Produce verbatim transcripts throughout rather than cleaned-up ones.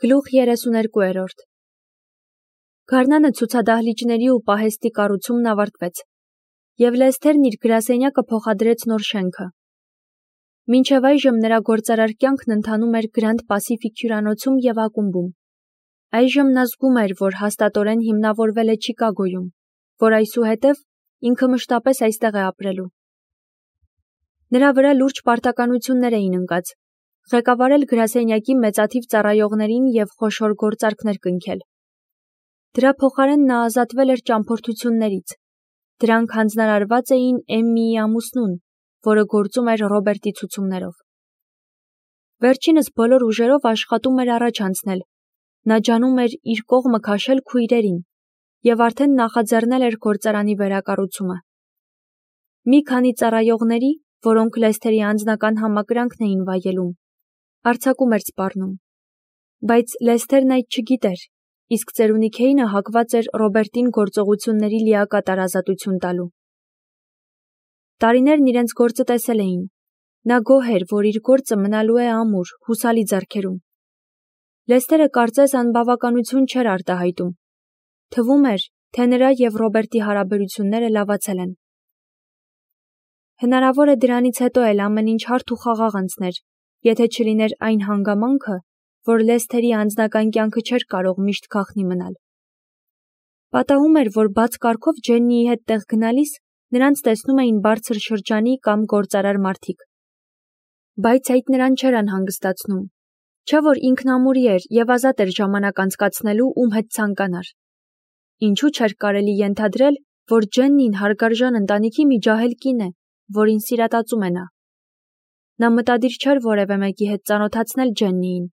Գլուխ երեսուներկուերորդ Գարնանը ցուցադահլիճների ու պահեստի կառուցումն ավարտվեց, և Լեսթերն իր գրասենյակը փոխադրեց նոր շենքը։ Մինչև այժմ նրա գործարար կյանքն ընթանում էր Գրանդ Պասիֆիկ հյուրանոցում և ակումբում։ Այժմ նա զգում էր, որ հաստատորեն հիմնավորվել է Չիկագոյում, որ այսուհետև ինքը մշտապես այստեղ է ապրելու։ Նրա վրա լուրջ պարտականություններ էին ընկած, ղեկավարել գրասենյակի մեծաթիվ ծառայողներին և խոշոր գործարքներ կնքել։ Դրա փոխարեն նա ազատվել էր ճամփորդություններից։ Դրանք հանձնարարված էին Էմմիի ամուսնուն, որը գործում էր Ռոբերտի ցուցումներով։ Վերջինս բոլոր ուժերով աշխատում էր առաջ անցնել։ Նա ջանում էր իր կողմը քաշել քույրերին և արդեն նախաձեռնել էր գործարանի վերակառուցումը։ Մի քանի ծառայողների, որոնք Լեսթերի անձնական համակրանքն էին վայելում, արձակում էր սպառնում։ Բայց Լեսթերն այդ չգիտեր, իսկ ծերունի Քեյնը հակված էր Ռոբերտին գործողությունների լիակատար ազատություն տալու։ Տարիներն իրենց գործը տեսել էին։ Նա գոհ էր, որ իր գործը մնալու է ամուր, հուսալի ձեռքերում։ Լեսթերը կարծես անբավականություն չէր արտահայտում։ Թվում էր, թե նրա և Ռոբերտի հարաբերությունները լավացել են։ Հնարավոր է դրանից հետո էլ ամեն ինչ հարթ ու խաղաղ անցներ, եթե չլիներ այն հանգամանքը, որ Լեսթերի անձնական կյանքը չէր կարող միշտ գաղտնի մնալ։ Պատահում էր, որ բաց կարգով Ջեննիի հետ տեղ գնալիս նրանց տեսնում էին բարձր շրջանի կամ գործարար մարդիկ։ Բայց այդ նրան չէր անհանգստացնում, չէ՞ որ ինքն ամուրի էր և ազատ էր ժամանակ անցկացնելու ում հետ ցանկանար։ Ինչու՞ չէր կարելի ենթադրել, որ Ջեննին հարգարժան ընտանիքի մի ջահել կին է, որին սիրատածում է նա։ Նա մտադիր չէր որևէ մեկի հետ ծանոթացնել Ջեննիին։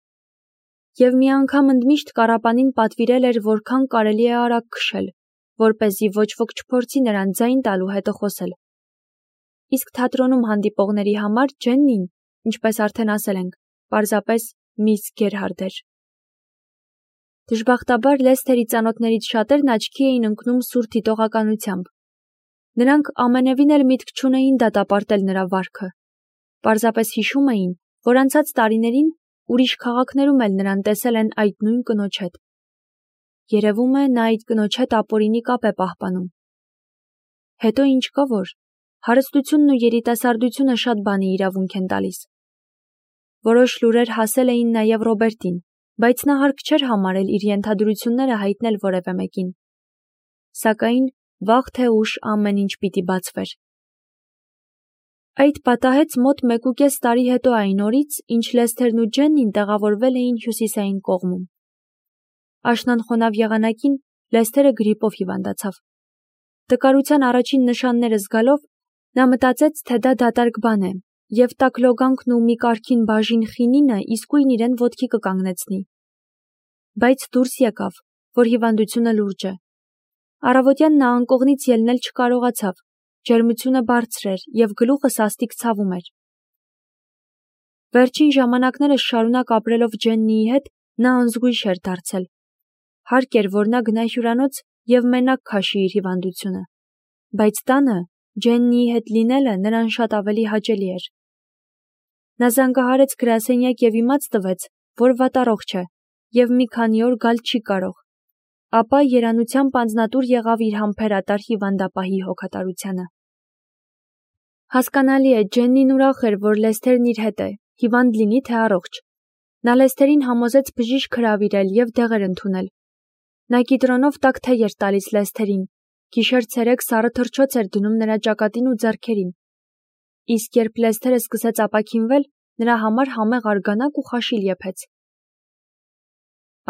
Եվ մի անգամ ընդմիշտ կառապանին պատվիրել էր որքան կարելի է արագ քշել, որպեսզի ոչ ոք չփորձի նրան ձայն տալու հետը խոսել։ Իսկ թատրոնում հանդիպողների համար Ջեննին, ինչպես արդեն ասել ենք, պարզապես միս Գերհարդ էր։ Դժբախտաբար Լեսթերի ծանոթներից շատերն աչքի էին ընկնում սուր դիտողականությամբ։ Նրանք ամենևին էլ միտք չունեին դատապարտել նրա վարքը։ Պարզապես հիշում էին, որ անցած տարիներին ուրիշ քաղաքներում էլ նրան տեսել են այդ նույն կնոջ հետ։ Երևում է, նա այդ կնոջ հետ ապօրինի կապ է պահպանում։ Հետո ինչ կա որ, հարստությունն ու երիտասարդությունը շատ բանի իրավունք են տալիս։ Որոշ լուրեր հասել էին նաև Ռոբերտին, բայց նա հարկ չէր համարել իր ենթադրությունները հայտնել որևէ մեկին։ Սակայն վաղ թե ուշ ամեն ինչ պիտի բացվեր։ Այդ պատահեց մոտ մեկուկես տարի հետո այն օրից, ինչ Լեսթերն ու Ջեննին տեղավորվել էին հյուսիսային կողմում։ Աշնանխոնավ եղանակին Լեսթերը գրիպով հիվանդացավ։ Տկարության առաջին նշանները զգալով, նա մտածեց, թե դա դատարկ բան է, և տաք լոգանքն ու մի կարգին բաժին խինինը իսկույն իրեն ոտքի կկանգնեցնի։ Բայց դուրս եկավ, որ հիվանդությունը լուրջ է։ Առավոտյան նա անկողնից ելնել չկարողացավ, ջերմությունը բարձր էր և գլուխը սաստիկ ցավում էր։ Վերջին ժամանակներս շարունակ ապրելով Ջեննիի հետ, նա անզգույշ էր դարձել։ Հարկ էր, որ նա գնա հյուրանոց և մենակ քաշի իր հիվանդությունը։ Բայց տանը Ջեննիի հետ լինելը նրան շատ ավելի հաճելի էր։ Նա զանգահարեց գրասենյակ և իմաց տվեց, որ վատառողջ է և մի քանի օր գալ չի կարող։ Ապա երանությամբ անձնատուր եղավ իր համբերատար հիվանդապահի հոգատարությանը։ Հասկանալի է, Ջեննին ուրախ էր, որ Լեսթերն իր հետ է, հիվանդ լինի թե առողջ։ Նա Լեսթերին համոզեց բժիշկ հրավիրել և դեղեր ընդունել։ Նա կիտրոնով տաք թեյ էր տալիս Լեսթերին, գիշեր-ցերեկ սառը թռչոց էր դնում նրա ճակատին ու ձեռքերին։ Իսկ երբ Լեսթերը սկսեց ապաքինվել, նրա համար համեղ արգանակ ու խաշիլ եփեց։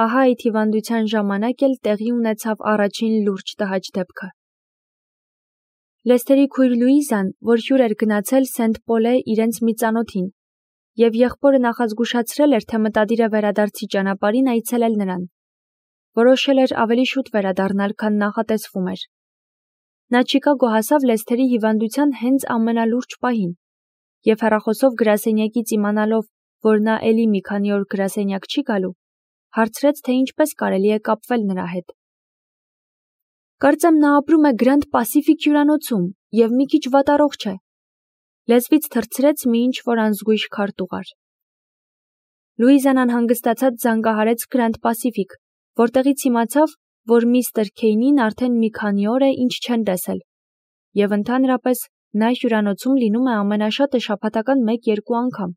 Ահա այդ հիվանդության ժամանակ էլ տեղի ունեցավ առաջին լուրջ տհաճ դեպքը։ Լեսթերի քույր Լուիզան, որ հյուր էր գնացել Սենթ Պոլե իրենց մի ծանոթին, և եղբորը նախազգուշացրել էր, թե մտադիր է վերադարձի ճանապարհին այցելել նրան։ Որոշել էր ավելի շուտ վերադառնալ, քան նախատեսվում էր։ Նա Չիկագո հասավ Լեսթերի հիվանդության հենց ամենալուրջ պահին, և հեռախոսով գրասենյակից իմանալով, որ նա էլի մի քանի օր գրասենյակ չի գալու, հարցրեց, թե ինչպես կարելի է կապվել նրա հետ։ Կարծեմ նա ապրում է Գրանդ Պասիֆիկ հյուրանոցում և մի քիչ վատառողջ է։ Լեզվից թռցրեց մի ինչ-որ անզգույշ քարտուղար։ Լուիզան անհանգստացած զանգահարեց Grand Pacific, որտեղից իմացավ, որ միստր Քեյնին արդեն մի քանի օր է ինչ չեն տեսել, և ընդհանրապես նա հյուրանոցում լինում է ամենաշատը շաբաթական մեկ-երկու անգամ։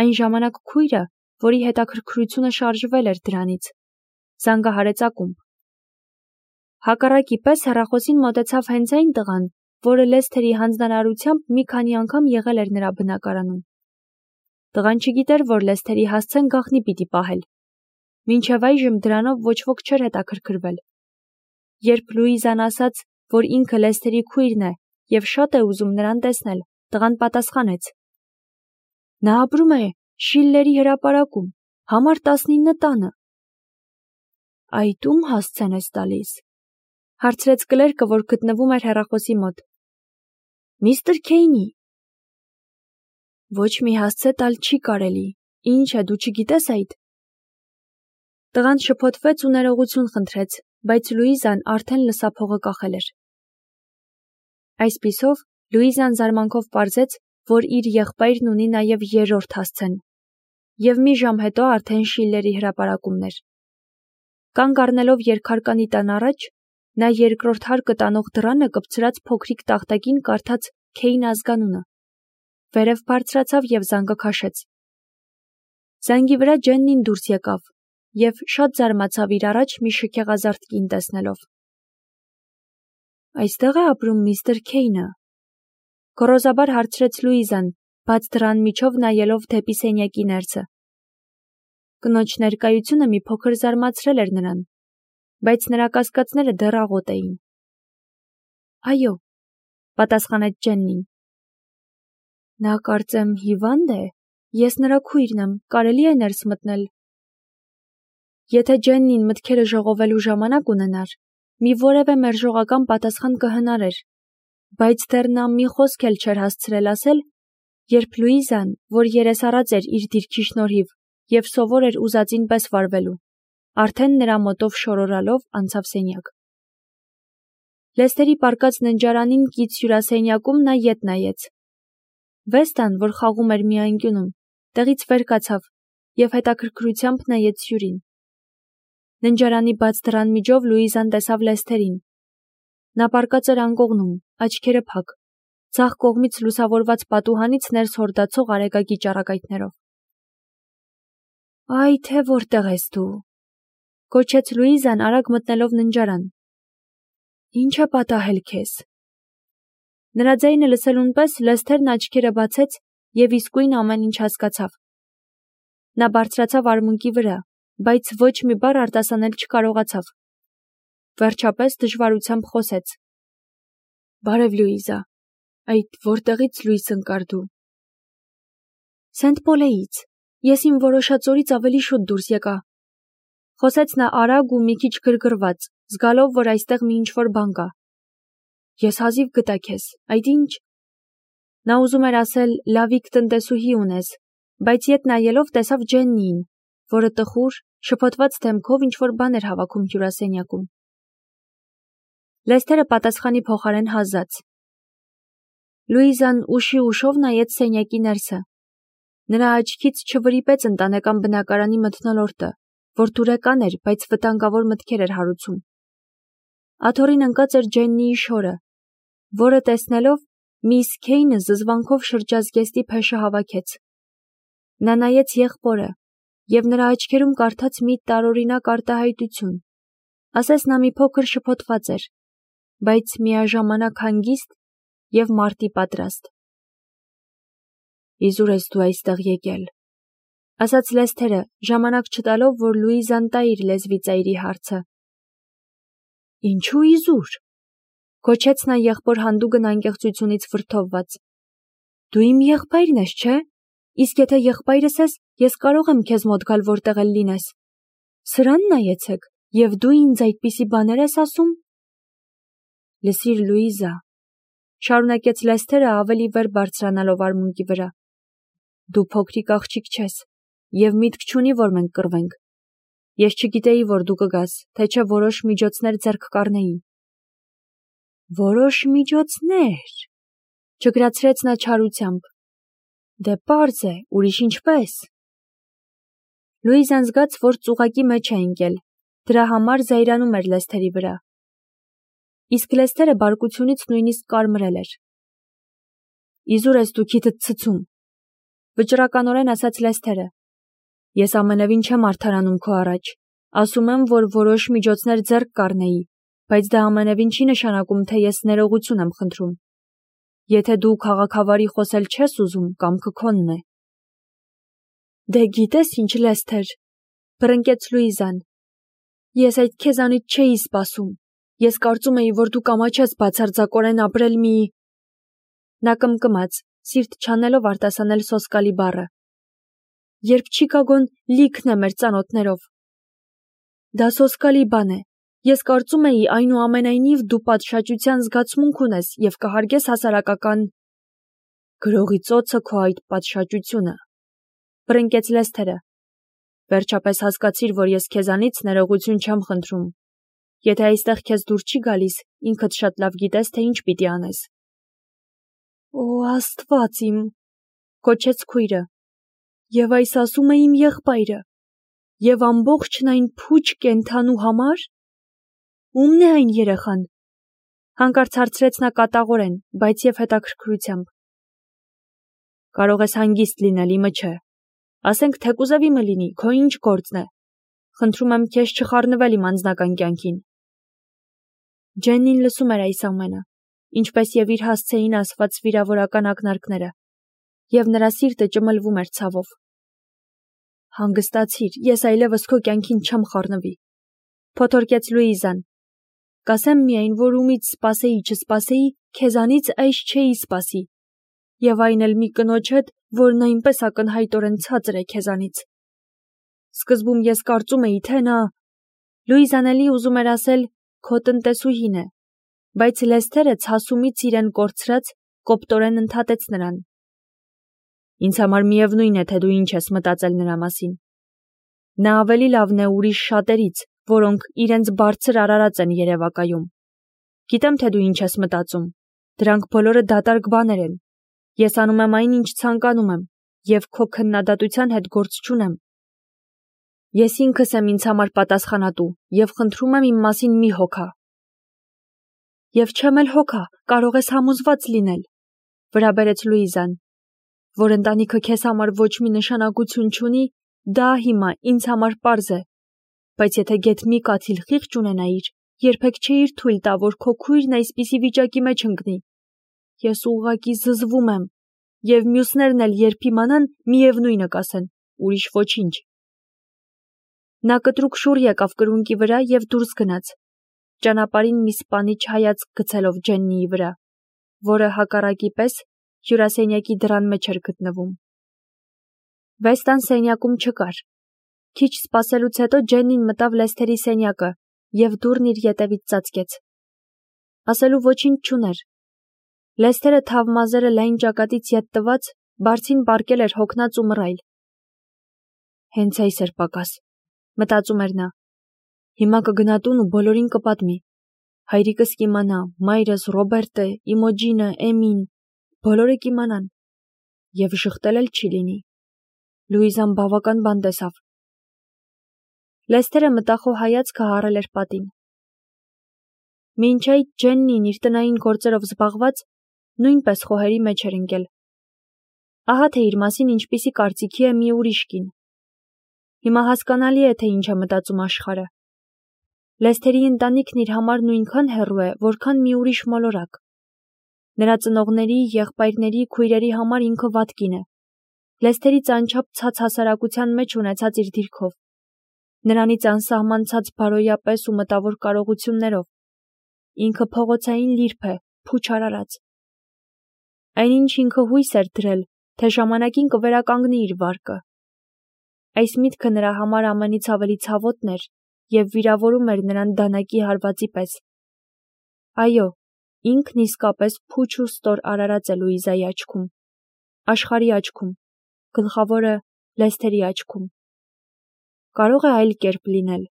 Այն ժամանակ քույրը, որի հետաքրքրությունը շարժվել էր դրանից, զանգահարեց ակումբ։ Հակառակի պես հեռախոսին մոտեցավ հենց այն տղան, որը Լեսթերի հանձնարարությամբ մի քանի անգամ եղել էր նրա բնակարանում։ Տղան չգիտեր, որ Լեսթերի հասցեն գաղտնի պիտի պահել։ Մինչև այժմ դրանով ոչ ոք չէր հետաքրքրվել։ Երբ Լուիզան ասաց, որ ինքը Լեսթերի քույրն է և շատ է ուզում նրան տեսնել, տղան պատասխանեց. Նա ապրում է Շիլլերի հրապարակում, համար տասնինը տանը։ Այդ ում հասցեն ես տալիս, հարցրեց կլերկը, որ գտնվում էր հեռախոսի մոտ։ Միստր Քեյնի։ Ոչ մի հասցե տալ չի կարելի, ինչ է, դու չգիտես այդ։ Տղան շփոթվեց ու ներողություն խնդրեց, բայց Լուիզան արդեն լսափողը կախել էր։ Այսպիսով, Լուիզան զարմանքով պարզեց, որ իր եղբայրն ունի նաև երրորդ հասցեն, և մի ժամ հետո արդեն Շիլլերի հրապարակումն էր։ Կանգ առնելով երկհարկանի տան առաջ, նա երկրորդ հարկը տանող դռանը կպցրած փոքրիկ տախտակին կարդաց Քեյն ազգանունը, վերև բարձրացավ և զանգը քաշեց։ Զանգի վրա Ջեննին դուրս եկավ և շատ զարմացավ իր առաջ մի շքեղազարդ կին տեսնելով։ Այստեղ է ապրում միստր Քեյնը, գոռոզաբար հարցրեց Լուիզան, բաց դռան միջով նայելով դեպի սենյակի ներսը։ Կնոջ ներկայությունը մի փոքր զարմացրել էր նրան, բայց նրա կասկածները դեռ աղոտ էին։ Այո, պատասխանեց Ջեննին։ Նա կարծեմ հիվանդ է, ես նրա քույրն եմ, կարելի է ներս մտնել։ Եթե Ջեննին մտքերը ժողովելու ժամանակ ունենար, մի որևէ մերժողական պատասխան կհնարեր, բայց դեռ նա մի խոսք էլ չէր հասցրել ասել, երբ Լուիզան, որ երեսառած էր իր դիրքի շնորհիվ և սովոր էր ուզածին պես վարվելու, արդեն նրա մոտով շորորալով անցավ սենյակ։ Լեսթերի պառկած ննջարանին կից հյուրասենյակում նա ետ նայեց։ Վեստան, որ խաղում էր մի անկյունում, տեղից վեր կացավ և հետաքրքրությամբ նայեց հյուրին։ Ննջարանի բաց դռան միջով Լուիզան տեսավ Լեսթերին։ Նա պառկած էր անկողնում, աչքերը փակ, ձախ կողմից լուսավորված պատուհանից ներս հորդացող արեգակի ճառագայթներով։ Այ թե որտեղ ես դու, գոչեց Լուիզան արագ մտնելով ննջարան։ Ինչ է պատահել քեզ։ Նրա ձայնը լսելուն պես Լեսթերն աչքերը բացեց և իսկույն ամեն ինչ հասկացավ։ Նա բարձրացավ արմունկի վրա, բայց ոչ մի բառ արտասանել չկարողացավ։ Վերջապես դժվարությամբ խոսեց. Բարև Լուիզա, այդ որտեղից լույս ընկար դու։ Սենթ Պոլեից, ես իմ որոշած օրից ավելի շուտ դուրս եկա։ Խոսեց նա արագ ու մի քիչ գրգռված, զգալով, որ այստեղ մի ինչ-որ բան կա։ Ես հազիվ գտա քեզ, այդ ինչ։ Նա ուզում էր ասել լավիկ տնտեսուհի ունես, բայց ետ նայելով տեսավ Ջեննիին, որը տխուր, շփոթված դեմքով ինչ-որ բան էր հավաքում հյուրասենյակում։ Լեսթերը պատասխանի փոխարեն հազաց։ Լուիզան ուշի ուշով նայեց սենյակի ներսը։ Նրա աչքից չվրիպեց ընտանեկան բնակարանի մթնոլորտը, որ դուրեկան էր, բայց վտանգավոր մտքեր էր հարուցում։ Աթոռին ընկած էր Ջեննիի շորը, որը տեսնելով միս Քեյնը զզվանքով շրջազգեստի փեշը հավաքեց։ Նա նայեց եղբորը և նրա աչքերում կարդաց մի տարօրինակ արտահայտություն, ասես նա մի փոքր շփոթված էր, բայց միաժամանակ հանգիստ և մարտի պատրաստ։ Իզուր ես դու այստեղ եկել, ասաց Լեսթերը, ժամանակ չտալով, որ Լուիզան տա իր լեզվի ծայրի հարցը։ Ինչու իզուր, գոչեց նա եղբոր հանդուգն անկեղծությունից վրդովված։ Դու իմ եղբայրն ես, չէ՞։ Իսկ եթե եղբայրս ես, ես կարող եմ քեզ մոտ գալ որտեղ էլ լինես։ Սրան նայեցեք, և դու ինձ այդպիսի բաներ ես ասում։ Լսիր, Լուիզա, շարունակեց Լեսթերը ավելի վեր բարձրանալով արմունկի վրա։ Դու փոքրիկ աղջիկ չես, և միտք չունի, որ մենք կռվենք։ Ես չգիտեի, որ դու կգաս, թե չէ որոշ միջոցներ ձեռք կառնեի։ Որոշ միջոցներ, չգրացրեց նա չարությամբ։ Դե պարզ է, ուրիշ ինչպես։ Լուիզան զգաց, որ ծուղակի մեջ է ընկել, դրա համար զայրանում էր Լեսթերի վրա։ Իսկ Լեսթերը բարկությունից նույնիսկ կարմրել էր։ Իզուր ես դու քիթդ ցցում, վճռականորեն ասաց Լեսթերը։ Ես ամենևին չեմ արդարանում քո առաջ, ասում եմ, որ որոշ միջոցներ ձեռք կառնեի, բայց դա ամենևին չի նշանակում, թե ես ներողություն եմ խնդրում։ Եթե դու քաղաքավարի խոսել չես ուզում, կամքը քոնն է։ Դե գիտես ինչ, Լեսթեր, բռնկեց Լուիզան։ Ես այդ քեզանից չէի սպասում։ Ես կարծում էի, որ դու կամաչես բացարձակորեն ապրել մի… Նա կմկմաց, սիրտ չանելով արտասանել սոսկալի բառը։ Երբ Չիկագոն լիքն է մեր ծանոթներով։ Դա սոսկալի բան է։ Ես կարծում էի, այնուամենայնիվ դու պատշաճության զգացմունք ունես և կհարգես հասարակական… Գրողի ծոցը քո այդ պատշաճությունը, բռնկեց Լեսթերը։ Վերջապես հասկացիր, որ ես քեզանից ներողություն չեմ խնդրում։ Եթե այստեղ քեզ դուր չի գալիս, ինքդ շատ լավ գիտես, թե ինչ պիտի անես։ Օ, Աստված իմ, կոչեց քույրը։ Եվ այս ասում է իմ եղբայրը։ Եվ ամբողջն այն փուչ կենդանու համար… Ո՞ւմն է այն երեխան։ Հանկարծ հարցրեց նա կատաղորեն, բայց և հետաքրքրությամբ։ Կարող ես հանգիստ լինել, իմը չէ։ Ասենք թեկուզև իմը լինի, քո ինչ գործն է։ Խնդրում եմ քեզ չխառնվել իմ անձնական կյանքին։ Ջեննին լսում էր այս ամենը, ինչպես և իր հասցեին ասված վիրավորական ակնարկները, և նրա սիրտը ճմլվում էր ցավով։ Հանգստացիր, ես այլևս քո կյանքին չեմ խառնվի, փոթորկեց Լուիզան։ Կասեմ միայն, որ ումից սպասեի չսպասեի, քեզանից այս չէի սպասի, և այն էլ մի կնոջ հետ, որն այնպես ակնհայտորեն ցածր է քեզանից։ Սկզբում ես կարծում էի, թե նա… Լուիզան էլի ուզում էր ասել քո տնտեսուհին է, բայց Լեսթերը ցասումից իրեն կորցրած կոպտորեն ընդհատեց նրան։ Ինձ համար միևնույն է, թե դու ինչ ես մտածել նրա մասին։ Նա ավելի լավն է ուրիշ շատերից, որոնք իրենց բարձր արարած են երևակայում։ Գիտեմ, թե դու ինչ ես մտածում։ Դրանք բոլորը դատարկ բաներ են։ Ես անում եմ այն, ինչ ցանկանում եմ, և քո քննադատության հետ գործ չունեմ։ Ես ինքս եմ ինձ համար պատասխանատու և խնդրում եմ իմ մասին մի հոգա։ Եվ չեմ էլ հոգա, կարող ես համոզված լինել, վրա բերեց Լուիզան, որ ընտանիքը քեզ համար ոչ մի նշանակություն չունի, դա հիմա ինձ համար պարզ է, բայց եթե գեթ մի կաթիլ խիղճ ունենայիր, երբեք չէիր թույլ տա, որ քո քույրն այսպիսի վիճակի մեջ ընկնի։ Ես ուղղակի զզվում եմ, և մյուսներն էլ երբ իմանան, միևնույնը կասեն, ուրիշ ոչինչ։ Նա կտրուկ շուռ եկավ կրունկի վրա և դուրս գնաց, ճանապարհին մի սպանիչ հայացք գցելով Ջեննիի վրա, որը հակառակի պես հյուրասենյակի դռան մեջ էր գտնվում։ Վեստան սենյակում չկար։ Քիչ սպասելուց հետո Ջեննին մտավ Լեսթերի սենյակը և դուռն իր ետևից ծածկեց։ Ասելու ոչինչ չուներ։ Լեսթերը թավ մազերը լայն ճակատից ետ տված, բարձին պառկել էր հոգնած ու մռայլ։ Հենց այս էր պակաս, մտածում էր նա։ Հիմա կգնա տուն ու բոլորին կպատմի։ Հայրիկս կիմանա, մայրս, Ռոբերտը, Իմոջինը, Էմին, բոլորը կիմանան։ Եվ ժխտել էլ չի լինի։ Լուիզան բավական բան տեսավ։ Լեսթերը մտախոհ հայացքը հառել էր պատին։ Մինչ այդ Ջեննին իր տնային գործերով զբաղված նույնպես խոհերի մեջ էր ընկել։ Ահա թե իր մասին ինչպիսի կարծիքի է մի ուրիշ կին։ Հիմա հասկանալի է, թե ինչ է մտածում աշխարհը։ Լեսթերի ընտանիքն իր համար նույնքան հեռու է, որքան մի ուրիշ մոլորակ։ Նրա ծնողների, եղբայրների, քույրերի համար ինքը վատ կին է։ Լեսթերից անչափ ցած հասարակության մեջ ունեցած իր դիրքով։ Նրանից անսահմանցած բարոյապես ու մտավոր կարողություններով։ Ինքը փողոցային լիրբ է, փուչ արարած։ Այնինչ ինքը հույս էր դրել, թե ժամանակին կվերականգնի իր վարկը։ Այս միտքը նրա համար ամենից ավելի ցավոտն էր և վիրավորում էր նրան դանակի հարվածի պես։ Այո, ինքն իսկապես փուչ ու ստոր արարած է Լուիզայի աչքում, աշխարհի աչքում, գլխավորը Լեսթերի աչքում։ Կարող է այլ կերպ լինել։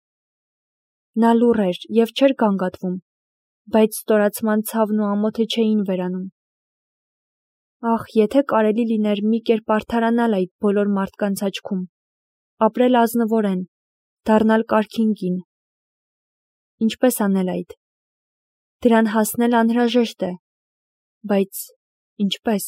Նա լուռ էր և չէր գանգատվում, բայց ստորացման ցավն ու ամոթը չէին վերանում։ Ախ, եթե կարելի լիներ մի կերպ արդարանալ այդ բոլոր մարդկանց աչքում, ապրել ազնվորեն, դառնալ կարգին կին։ Ինչպես անել այդ։ Դրան հասնել անհրաժեշտ է, բայց ինչպես։